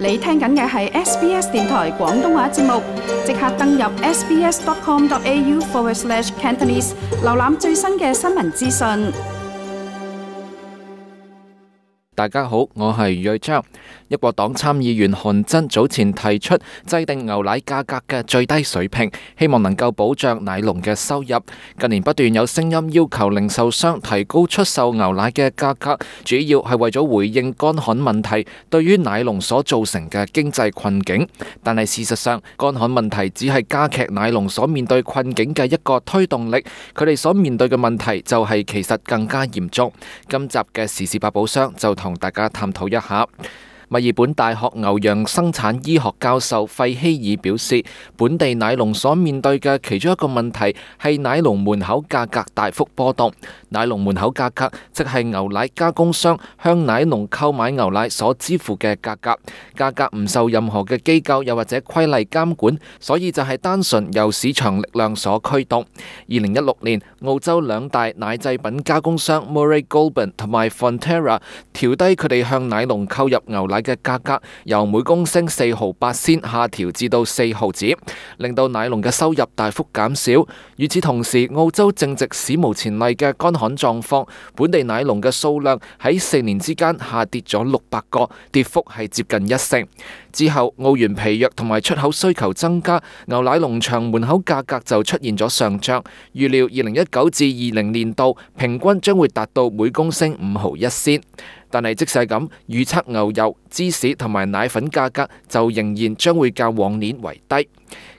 你聽緊嘅係 SBS 電台廣東話節目，即刻登入 sbs.com.au/cantonese 瀏覽最新嘅新聞資訊。大家好，我係睿章。一國黨參議員韓真早前提出制定牛奶價格嘅最低水平，希望能夠保障奶農嘅收入。近年不斷有聲音要求零售商提高出售牛奶嘅價格，主要係為咗回應乾旱問題對於奶農所造成嘅經濟困境。但係事實上，乾旱問題只係加劇奶農所面對困境嘅一個推動力，佢哋所面對嘅問題就係其實更加嚴重。今集嘅時事百寶箱就同大家探討一下。墨爾本大學牛羊生產醫學教授費希爾表示，本地奶農所面對嘅其中一個問題係奶農門口價格大幅波動。奶農門口價格即係牛奶加工商向奶農購買牛奶所支付嘅價格，價格唔受任何嘅機構又或者規例監管，所以就係單純由市場力量所驅動。2016年，澳洲兩大奶製品加工商 Murray Goulburn 同埋 Fonterra 調低佢哋向奶農購入牛奶嘅價格，由每公升4毫8仙下調至到4毫子，令到奶農嘅收入大幅減少。與此同時，澳洲正值史無前例嘅乾旱狀況，本地奶農嘅數量喺4年之間下跌咗600個，跌幅係接近1成。之後，澳元疲弱同埋出口需求增加，牛奶農場門口價格就出現咗上漲。預料2019至20年度平均將會達到每公升5毫1仙。但係即使係咁，預測牛油、芝士同埋奶粉價格就仍然將會較往年為低。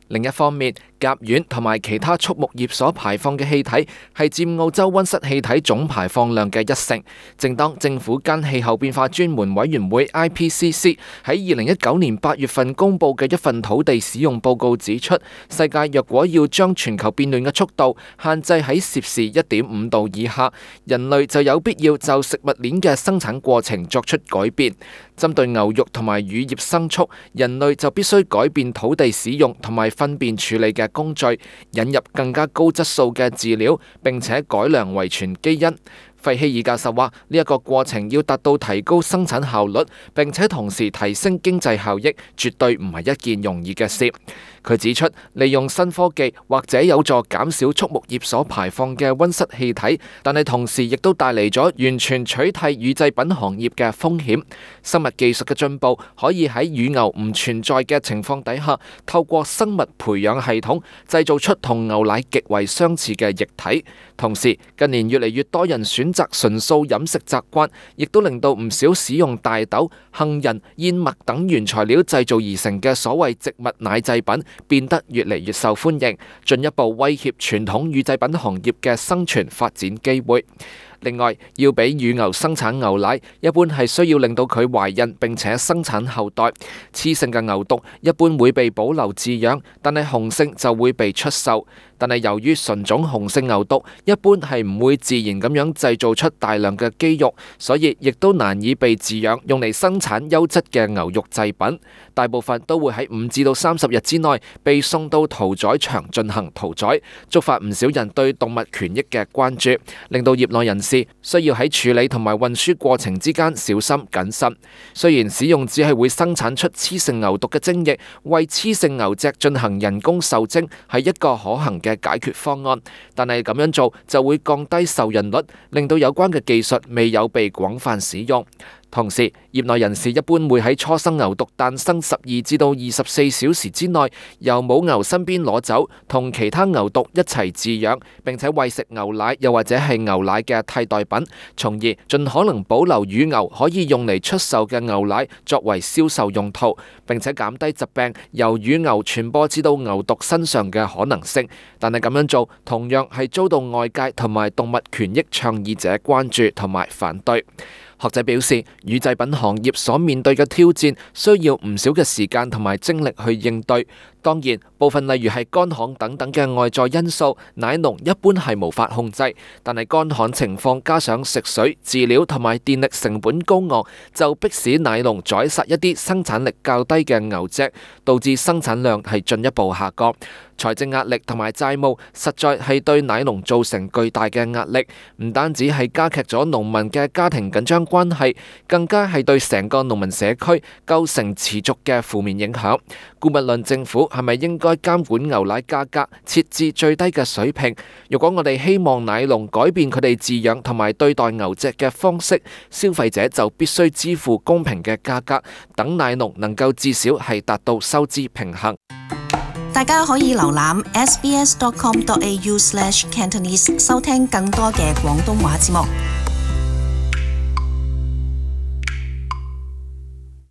另一方面，甲烷同埋其他畜牧業所排放嘅氣體係佔澳洲溫室氣體總排放量嘅1成。正當政府間氣候變化專門委員會 IPCC 喺2019年8月份公佈嘅一份土地使用報告指出，世界若果要將全球變暖嘅速度限制喺攝氏1.5度以下，人類就有必要就食物鏈嘅生產過程作出改變。針對牛肉同埋乳業牲畜，人類就必須改變土地使用同埋糞便處理嘅工序，引入更加高質素嘅飼料，並且改良遺傳基因。費希爾教授話：呢一個過程要達到提高生產效率，並且同時提升經濟效益，絕對唔係一件容易嘅事。佢指出，利用新科技或者有助減少畜牧業所排放嘅溫室氣體，但係同時亦都帶嚟咗完全取替乳製品行業嘅風險。生物技術嘅進步可以喺乳牛唔存在嘅情況底下，透過生物培養系統製造出同牛奶極為相似嘅液體。同時，近年越嚟越多人選擇純素飲食習慣，亦都令到唔少使用大豆、杏仁、燕麥等原材料製造而成嘅所謂植物奶製品變得越嚟越受歡迎，進一步威脅傳統乳製品行業嘅生存發展機會。另外，要俾乳牛生產牛奶，一般係需要令到佢懷孕並且生產後代。雌性嘅牛犢一般會被保留飼養，但係雄性就會被出售。但係由於純種雄性牛犢一般係唔會自然咁樣製造出大量嘅肌肉，所以亦都難以被飼養用嚟生產優質嘅牛肉製品。大部分都會喺5至到30日之內被送到屠宰場進行屠宰，觸發唔少人對動物權益嘅關注，令到業內人士需要喺處理同埋運輸過程之間小心謹慎。雖然使用只係會生產出雌性牛犢嘅精液，為雌性牛隻進行人工受精係一個可行嘅解決方案，但係咁樣做就會降低受孕率，令到有關嘅技術未有被廣泛使用。同時，業內人士一般會喺初生牛犢誕生12至到24小時之內，由母牛身邊攞走，同其他牛犢一齊飼養，並且餵食牛奶又或者係牛奶嘅替代品，從而盡可能保留乳牛可以用嚟出售嘅牛奶作為銷售用途，並且減低疾病由乳牛傳播至到牛犢身上嘅可能性。但係咁樣做同樣係遭到外界同埋動物權益倡議者關注同埋反對。學者表示，乳製品行業所面對嘅挑戰需要唔少嘅時間同埋精力去應對。當然，部分例如係乾旱等等嘅外在因素，奶農一般係無法控制。但係乾旱情況加上食水、飼料同埋電力成本高昂，就迫使奶農宰殺一啲生產力較低嘅牛隻，導致生產量係進一步下降。財政壓力同埋債務實在係對奶農造成巨大嘅壓力，唔單止係加劇咗農民嘅家庭緊張關係，更加係對成個農民社區構成持續嘅負面影響。姑勿論政府係咪應該監管牛奶價格，設置最低嘅水平？如果我哋希望奶農改變佢哋飼養同埋對待牛隻嘅方式，消費者就必須支付公平嘅價格，等奶農能夠至少係達到收支平衡。大家可以瀏覽 sbs.com.au/cantonese 收聽更多嘅廣東話節目。